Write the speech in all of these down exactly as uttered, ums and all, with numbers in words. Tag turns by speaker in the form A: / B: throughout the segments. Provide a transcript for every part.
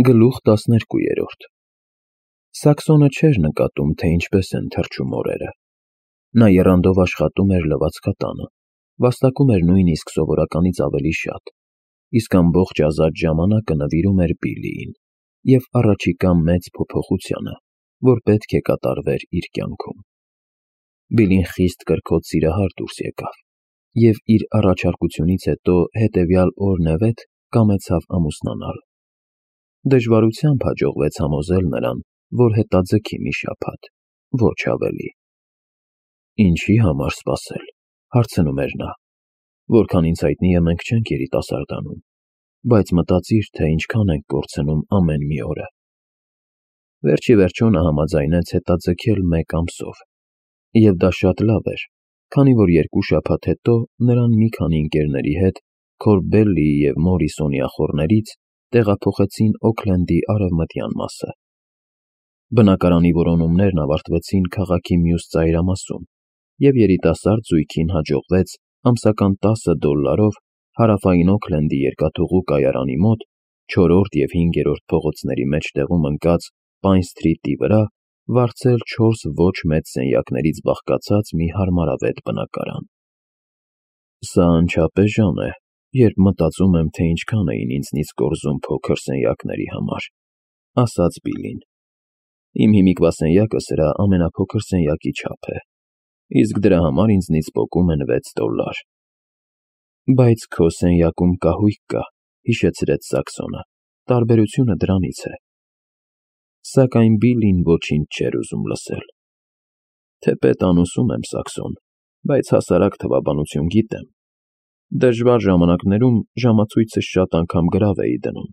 A: Գլուխ տասներկուերորդ Սաքսոնը չէր նկատում, թե ինչպես են թռչում օրերը. նա եռանդով աշխատում էր լվացքատանը, վաստակում էր նույնիսկ սովորականից ավելի շատ, իսկ ամբողջ ազատ ժամանակը նվիրում էր Բիլլիին և առաջիկա մեծ փոփոխությանը, որ պետք է կատարվեր իր կյանքում։ Բիլլին խիստ կրքոտ սիրահար դուրս եկավ և իր առաջարկությունից հետո հետևյալ օրն է վեթ կամեցավ ամուսնանալ։ Դժվարությամբ հաջողվեց համոզել նրան, որ հետաձգի մի շաբաթ, ոչ ավելի։ Ինչի համար սպասել, հարցնում էր նա, որքան ինձ հայտնի է, մենք չենք երիտասարդանում, բայց մտածիր, թե ինչքան ենք կորցնում ամեն մի օրը։ Վերջիվերջո նա համաձայնեց հետաձգել մեկ ամսով, և դա շատ լավ էր, քանի որ երկու շաբաթ հետո նրան մի քանի ընկերների հետ Քորբելլիի և Մորիսոնի ախոռներից տեղափոխեցին Օքլենդի արևմտյան մասը։ Բնակարանի որոնումներն ավարտվեցին քաղաքի մյուս ծայրամասում, և երիտասարդ զույգին հաջողվեց ամսական տասը դոլարով հարավային Օքլենդի երկաթուղու կայարանի մոտ չորրորդ և հինգերորդ փողոցների մեջտեղում ընկած Պայն Սթրիթի վրա վարձել չորս ոչ մեծ սենյակներից բաղկացած մի հարմարավետ բնակարան։ Սա անչափ էժան է, երբ մտածում եմ, թե ինչքան էին ինձնից կորզում փոքր սենյակների համար, ասաց Բիլլին։ Իմ հիմիկվա սենյակը սրա ամենափոքր սենյակի չափ է, իսկ դրա համար ինձնից պոկում են վեց դոլար։ Բայց քո սենյակում կահույք կա, հիշեցրեց Սաքսոնը, տարբերությունը դրանից է։ Սակայն Բիլլին ոչինչ չէր ուզում լսել։ Թեպետ անուսում եմ, Սաքսոն, բայց հասարակ թվաբանություն գիտեմ։ Դժվար ժամանակներում ժամացույցս շատ անգամ գրավ էի դնում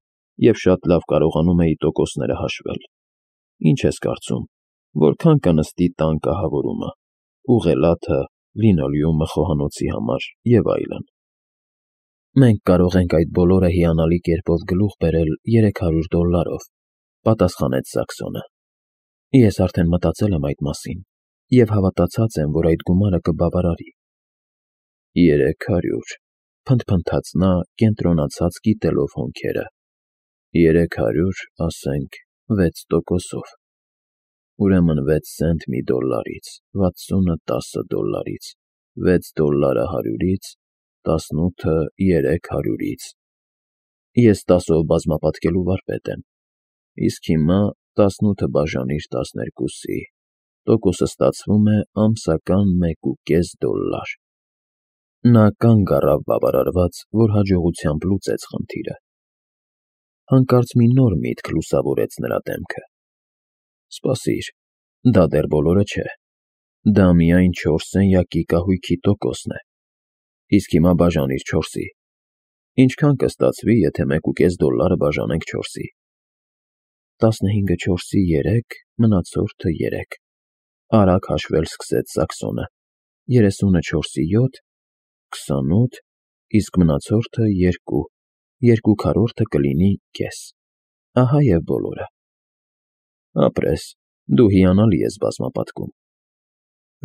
A: և շատ լավ կարողանում էի տոկոսները հաշվել։ Ինչ ես կարծում, որքան կնստի տան կահավորումը, ուղղելաթը, լինոլեումը խոհանոցի համար և այլն։ Մենք կարող ենք այդ բոլորը հիանալի կերպով գլուխ բերել երեք հարյուր դոլարով, պատասխանեց Սաքսոնը։ Ես արդեն մտածել եմ այդ մասին և հավատացած եմ, որ այդ գումարը կբավարարի։ Երեք հարյուր, փնթփնթաց նա, կենտրոնացած կիտելով հոնքերը։ Երեք հարյուր, ասենք, վեց տոկոսով։ Ուրեմն վեց սենտ մի դոլարից, վաթսունը տասը դոլարից, վեց դոլարը հարյուրից, տասնութը երեք հարյուրից։ Ես տասով բազմապատկելու վարպետ եմ, իսկ հիմա տասնութը բաժանիր տասներկուսի, տոկոսը ստացվում է ամսական մեկ ու կես դոլար։ Նա կանգ առավ բավարարված, որ հաջողությամբ լուծեց խնդիրը։ Հանկարծ մի նոր միտք լուսավորեց նրա դեմքը։ Սպասիր, դա դեռ բոլորը չէ։ Դա միայն չորս սենյակի կահույքի տոկոսն է։ Իսկ հիմա բաժանիր չորսի։ Ինչքան կստացվի, եթե մեկ ու կես դոլարը բաժանենք չորսի։ Տասնհինգը չորսի երեք, մնացորդը երեք, արագ հաշվել սկսեց Սաքսոնը։ Երեսունը չորսի յոթ, քսանութ, իսկ մնացորդը երկու, երկու քառորդը կլինի կես։ Ահա և բոլորը։ Ապրես, դու հիանալի ես բազմապատկում։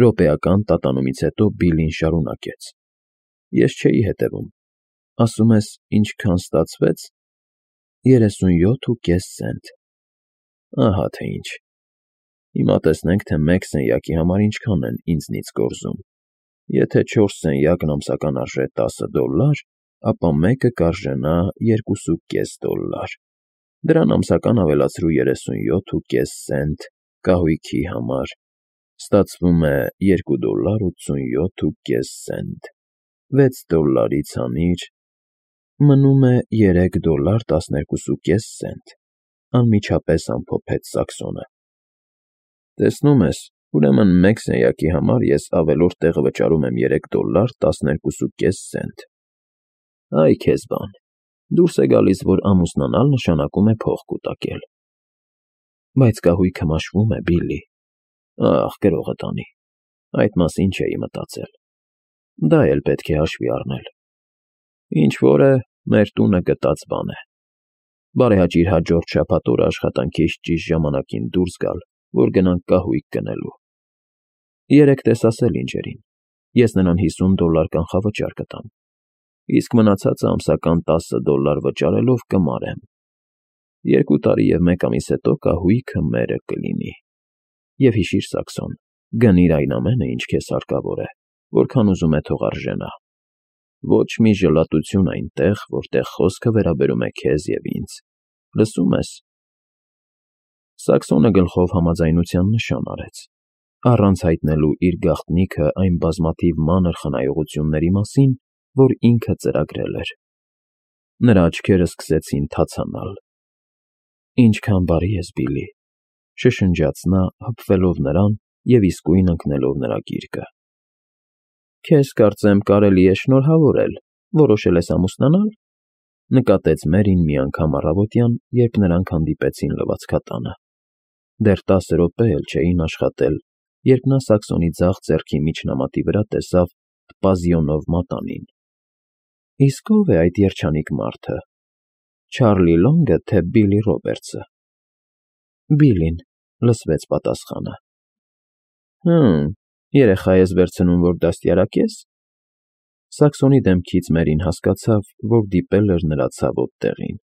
A: Րոպեական տատանումից հետո Բիլլին շարունակեց. Ես չէի հետևում։ Ասում ես, ինչքան ստացվեց։ Երեսունյոթ ու կես սենտ։ Ահա թե ինչ։ Հիմա տեսնենք, թե մեկ սենյակի համար ինչքան են ինձնից կորզում։ Եթե չորս սենյակն ամսական արժե տասը դոլար, ապա մեկը կարժենա երկուսու կես դոլար։ Դրան ամսական ավելացրու երեսունյոթ ու կես սենտ կահույքի համար, ստացվում է երկու դոլար ութսունյոթ ու կես սենտ, վեց դոլարից հանիր, մնում է երեք դոլար տասներկուսու կես սենտ, անմիջապես ամփոփեց Սաքսոնը։ Տեսնում ես, ուրեմն մեկ սենյակի համար ես ավելորդ տեղը վճարում եմ երեք դոլար տասներկուսու կես սենտ։ Այ քեզ բան, դուրս է գալիս, որ ամուսնանալ նշանակում է փող կուտակել։ Բայց կահույքը մաշվում է, Բիլլի։ Ախ, գրողը տանի, այդ մասին չէի մտածել։ Դա էլ պետք է հաշվի առնել։ Ինչ֊որ է, մեր տունը գտած բան է։ Բարեհաճիր հաջորդ շաբաթ օրը աշխատանքից ճիշտ ժամանակին դուրս գալ, որ գնանք կահույք գնելու։ Երեկ տես ասել ինժերին, ես նրան հիսուն դոլար կանխավճար կտամ, իսկ մնացածը ամսական տասը դոլար վճարելով կմարեմ։ Երկու տարի և մեկ ամիս հետո կահույքը մերը կլինի։ Եվ հիշիր, Սաքսոն, գնիր այն ամենը, ինչ քեզ հարկավոր է, որքան ուզում է թող արժենա։ Ոչ մի ժլատություն այնտեղ, որտեղ խոսքը վերաբերում է քեզ և ինձ։ Լսո՞ւմ ես։ Սաքսոնը գլխով համաձայնության նշան արեց, առանց հայտնելու իր գաղտնիքը այն բազմաթիվ մանր խնայողությունների մասին, որ ինքը ծրագրել էր։ Նրա աչքերը սկսեցին թացանալ։ Ինչքան բարի ես, Բիլլի, շշնջաց նա, հպվելով նրան և իսկույն ընկնելով նրա գիրկը։ Քեզ, կարծեմ, կարելի է շնորհավորել, որոշել ես ամուսնանալ, նկատեց Մերին մի անգամ առավոտյան, երբ նրանք հանդիպեցին լվացքատանը։ Դեռ տասը րոպե էլ չէին աշխատել, երբ նա Սաքսոնի ձախ ձեռքի միջնամատի վրա տեսավ Պազիոնով մատանին։ Իսկ ո՞վ է այդ երջանիկ մարդը, Չարլի Լոնգը, թե Բիլլի Ռոբերտսը։ Բիլլին, լսվեց պատասխանը։ Հը՛մ, երեխա ես վերցնում, որ դաստիարակ ես։ Սաքսոնի դեմքից Մերին հասկացավ, որ դիպել էր նրա ցավոտ տեղին,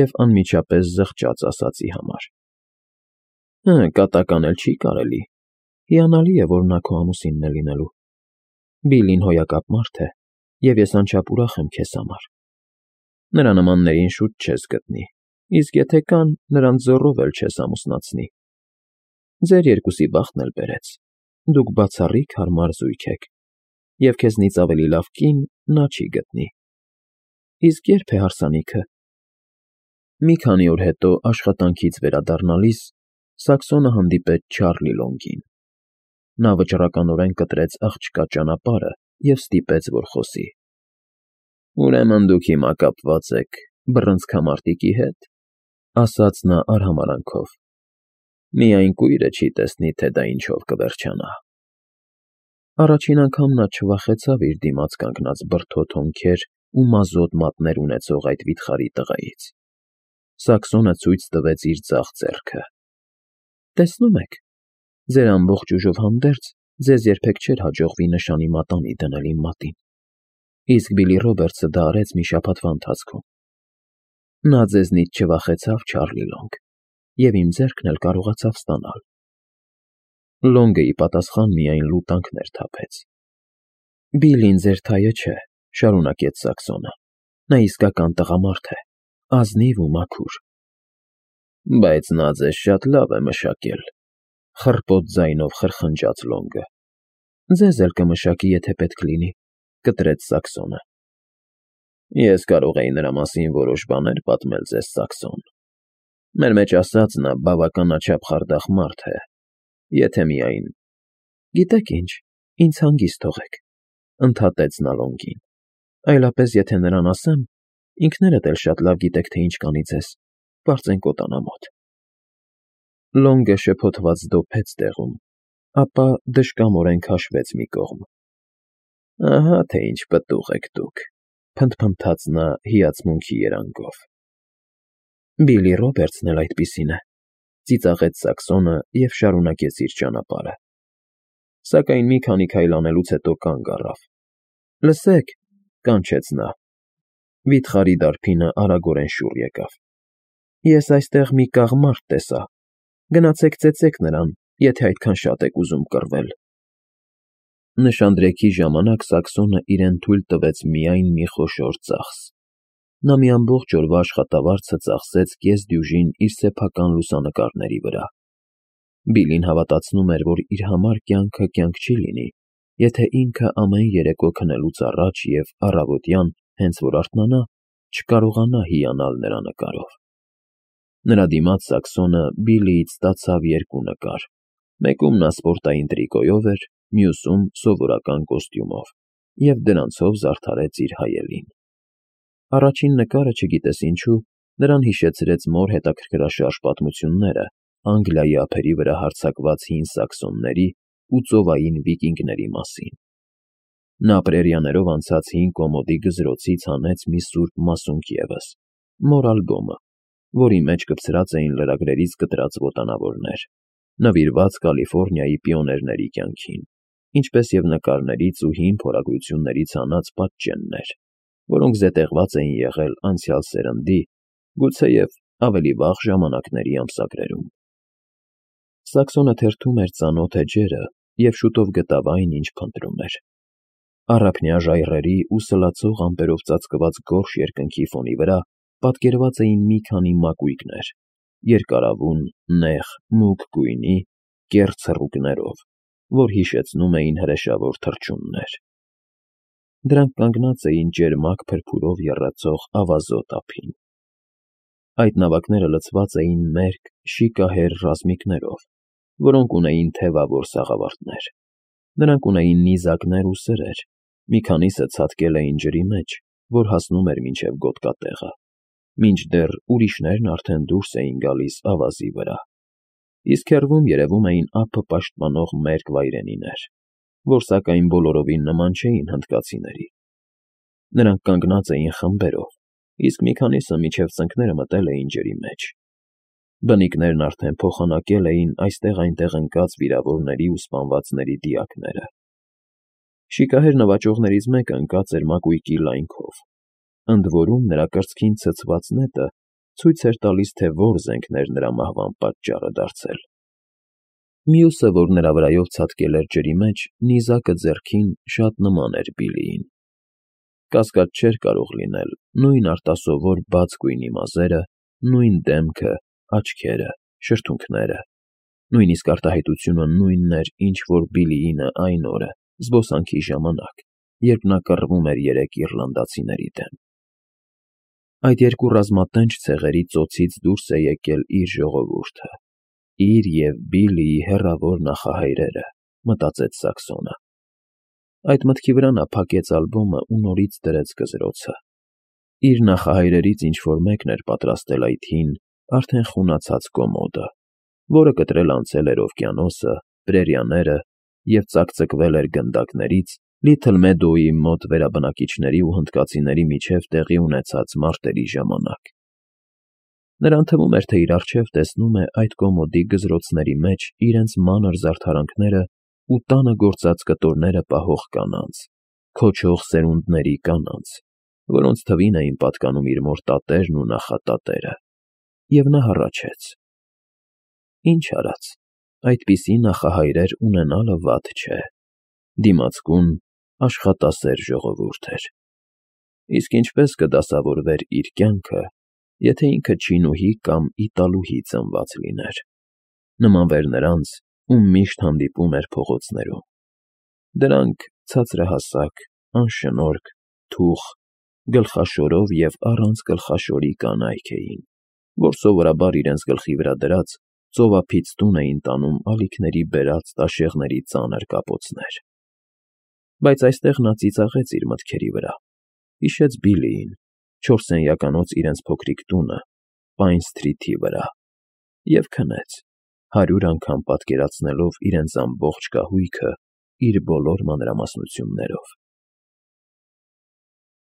A: և անմիջապես զղջաց ասածի համար։ Հը, կատական էլ չի կարելի։ Հիանալի է, որ նա քո ամուսինն է լինելու։ Բիլլին հոյակապ մարդ է, և ես անչափ ուրախ եմ քեզ համար։ Նրա նմաններին շուտ չես գտնի, իսկ եթե կան, նրանց զոռով էլ չես ամուսնացնի։ Ձեր երկուսի բախտն էլ բերեց, դուք բացառիկ հարմար զույգ եք, և քեզնից ավելի լավ կին նա չի գտնի։ Իսկ ե՞րբ է հարսանիքը։ Մի քանի օր հետո աշխատանքից վերադառնալիս Սաքսոնը հանդիպեց Չարլի Լոնգին։ Նա վճռականորեն կտրեց աղջկա ճանապարհը և ստիպեց, որ խոսի։ Ուրեմն դուք հիմա կապված եք բռնցքամարտիկի հետ, ասաց նա արհամարհանքով։ Միայն կույրը չի տեսնի, թե դա ինչով կվերջանա։ Առաջին անգամ նա չվախեցավ իր դիմաց կանգնած բրդոտ հոնքեր ու մազոտ մատներ ունեցող այդ վիթխարի տղայից։ Սաքսոնը ցույց տվեց իր ձախ ձեռքը։ Տեսնում եք, ձեր ամբողջ ուժով հանդերձ ձեզ երբեք չէր հաջողվի նշանի մատանի դնել իմ մատին, իսկ Բիլլի Ռոբերտսը դա արեց մի շաբաթվա ընթացքում։ Նա ձեզնից չվախեցավ, Չարլի Լոնգ, և իմ ձեռքն էլ կարողացավ ստանալ։ Լոնգը ի պատասխան միայն լուտանքներ թափեց։ Բիլլին ձեր թայը չէ, շարունակեց Սաքսոնը։ Նա իսկական տղամարդ է, ազնիվ ու մաքուր։ Բայց նա ձեզ շատ լավ է մշակել, խռպոտ ձայնով խրխնջաց Լոնգը։ Ձեզ էլ կմշակի, եթե պետք լինի, կտրեց Սաքսոնը։ Ես կարող էի նրա մասին որոշ բաներ պատմել ձեզ, Սաքսոն։ Մեր մեջ ասած նա բավականաչափ խարդախ մարդ է, եթե միայն… Գիտեք ինչ, ինձ հանգիստ թողեք, ընդհատեց նա Լոնգին։ Այլապես եթե նրան ասեմ, ինքներդ էլ շատ լավ գիտեք, թե ինչ կանի ձեզ, պարծենկոտ անամոթ։ Լոնգը շփոթված դոփեց տեղում, ապա դժկամորեն քաշվեց մի կողմ։ Ահա թե ինչ պտուղ եք դուք, փնթփնթաց նա հիացմունքի երանգով։ Բիլլի Ռոբերտսն էլ այդպիսին է, ծիծաղեց Սաքսոնը և շարունակեց իր ճանապարհը։ Սակայն մի քանի քայլ անելուց հետո կանգ առավ։ Լսեք, կանչեց նա։ Վիթխարի դարբինը արագորեն շուռ եկավ։ Ես այստեղ մի կաղմարդ տեսա։ Գնացեք ծեծեք նրան, եթե այդքան շատ եք ուզում կռվել։ Նշանдрեքի ժամանակ Սաքսոնը իրեն թույլ տվեց միայն մի խոշոր ծախս։ Նա մի ամբողջ օրվա աշխատավարձը ծախսեց կեսդյուժին իր սեփական լուսանկարների վրա։ Բիլլին հավատացնում էր, որ իր համար կյանքը կյանք չի լինի, եթե ինքը ամեն երեկո քնելուց առաջ և առավոտյան, հենց որ արթնանա, չկարողանա հիանալ նրա նկարով։ Նրա դիմաց Սաքսոնը Բիլլիից ստացավ երկու նկար, մեկում նա սպորտային տրիկոյով էր, մյուսում սովորական կոստյումով, և դրանցով զարդարեց իր հայելին։ Առաջին նկարը, չգիտես ինչու, նրան հիշեցրեց մոր հետաքրքրաշարժ պատմությունները Անգլիայի ափերի վրա հարձակված հին սաքսոնների ու ծովային վիկինգների մասին։ Նա պրերիաներով անցած հին կոմոդի գզրոցից հանեց մի սուրբ մասունք ևս, մոր ալբոմը, որի մեջ կպցրած էին լրագրերից կտրած ոտանավորներ, նվիրված Կալիֆոռնիայի պիոներների կյանքին, ինչպես և նկարներից ու հին փորագրություններից հանած պատճեններ, որոնք զետեղված էին եղել անցյալ սերնդի, գուցեև ավելի վաղ ժամանակների ամսագրերում։ Սաքսոնը թերթում էր ծանոթ էջերը և շուտով գտավ այն, ինչ փնտրում էր։ Առափնյա ժայռերի ու սլացող ամպերով ծածկված գորշ երկնքի ֆոնի վրա պատկերված էին մի քանի մակույկներ՝ երկարավուն, նեղ, մուգ գույնի, կեռ ցռուկներով, որ հիշեցնում էին հրեշավոր թռչուններ։ Դրանք կանգնած էին ջերմակ փրփուրով եռացող ավազոտ ափին։ Այդ նավակները լցված էին մերկ, շիկահեր ռազմիկներով, որոնք ունեին թևավոր սաղավարտներ։ Նրանք ունեին նիզակներ ու սրեր, մի քանիսը ցատկել էին ջրի մեջ, որ հասնում էր մինչև գոտկատեղը, մինչդեռ ուրիշներն արդեն դուրս էին գալիս ավազի վրա, իսկ հեռվում երևում էին ափը պաշտպանող մերկ վայրենիներ, որ սակայն բոլորովին նման չէին հնդկացիների։ Նրանք կանգնած էին խմբերով, իսկ մի քանիսը մինչև ծնկները մտել էին ջրի մեջ։ Բնիկներն արդեն փոխանակել էին այստեղ-այնտեղ ընկած վիրավորների ու սպանվածների դիակները։ Շիկահեր նվաճողներից մեկը ընկած էր մակույկի լայնքով, ընդ որում նրա կրծքին ցցված նետը ցույց էր տալիս, թե որ զենքն էր նրա մահվան պատճառը դարձել։ Մյուսը, որ նրա վրայով ցատկել էր ջրի մեջ, նիզակը ձեռքին, շատ նման էր Բիլլիին։ Կասկած չէր կարող լինել, նույն արտասովոր բաց գույնի մազերը, նույն դեմքը, աչքերը, շրթունքները, նույնիսկ արտահայտությունը նույնն էր, ինչ որ Բիլլիինը այն օրը, զբոսանքի ժամանակ, երբ նա կռվում էր երեք իռլանդացիների դեմ։ Այդ երկու ռազմատենչ ցեղերի ծոցից դուրս է եկել իր ժողովուրդը, իր և Բիլլիի հեռավոր նախահայրերը, մտածեց Սաքսոնը։ Այդ մտքի վրա նա փակեց ալբոմը ու նորից դրեց գզրոցը։ Իր նախահայրերից ինչ-որ մեկն էր պատրաստել այդ հին, արդեն խունացած կոմոդը, որը կտրել անցել էր օվկիանոսը, պրերիաները և ծակծկվել էր գնդակներից Լիթլ Մեդոուի մոտ վերաբնակիչների ու հնդկացիների միջև տեղի ունեցած մարտերի ժամանակ։ Նրան թվում էր, թե իր առջև տեսնում է այդ կոմոդի գզրոցների մեջ իրենց մանր զարդարանքները ու տանը գործած կտորները պահող կանանց, քոչող սերունդների կանանց, որոնց թվին էին պատկանում իր մոր տատերն ու նախատատերը, և նա հառաչեց. ինչ արած, այդպիսի նախահայրեր ունենալը վատ չէ, դիմացկուն, աշխատասեր ժողովուրդ էր։ Իսկ ինչպես կդասավորվեր իր կյանքը, եթե ինքը չինուհի կամ իտալուհի ծնված լիներ, նմանվեր նրանց, ում միշտ հանդիպում էր փողոցներում։ Դրանք ցածրահասակ, անշնորհք, թուխ, գլխաշորով և առանց գլխաշորի կանայք էին, որ սովորաբար իրենց գլխի վրա դրած ծովափից տուն էին տանում ալիքների բերած տաշեղների ծանր կապոցներ։ Բայց այստեղ նա ծիծաղեց իր մտքերի վրա, հիշեց Բիլլիին, չորսենյականոց իրենց փոքրիկ տունը, Պայն Սթրիթի վրա, և քնեց, հարյուր անգամ պատկերացնելով իրենց ամբողջ կահույքը իր բոլոր մանրամասնություններով։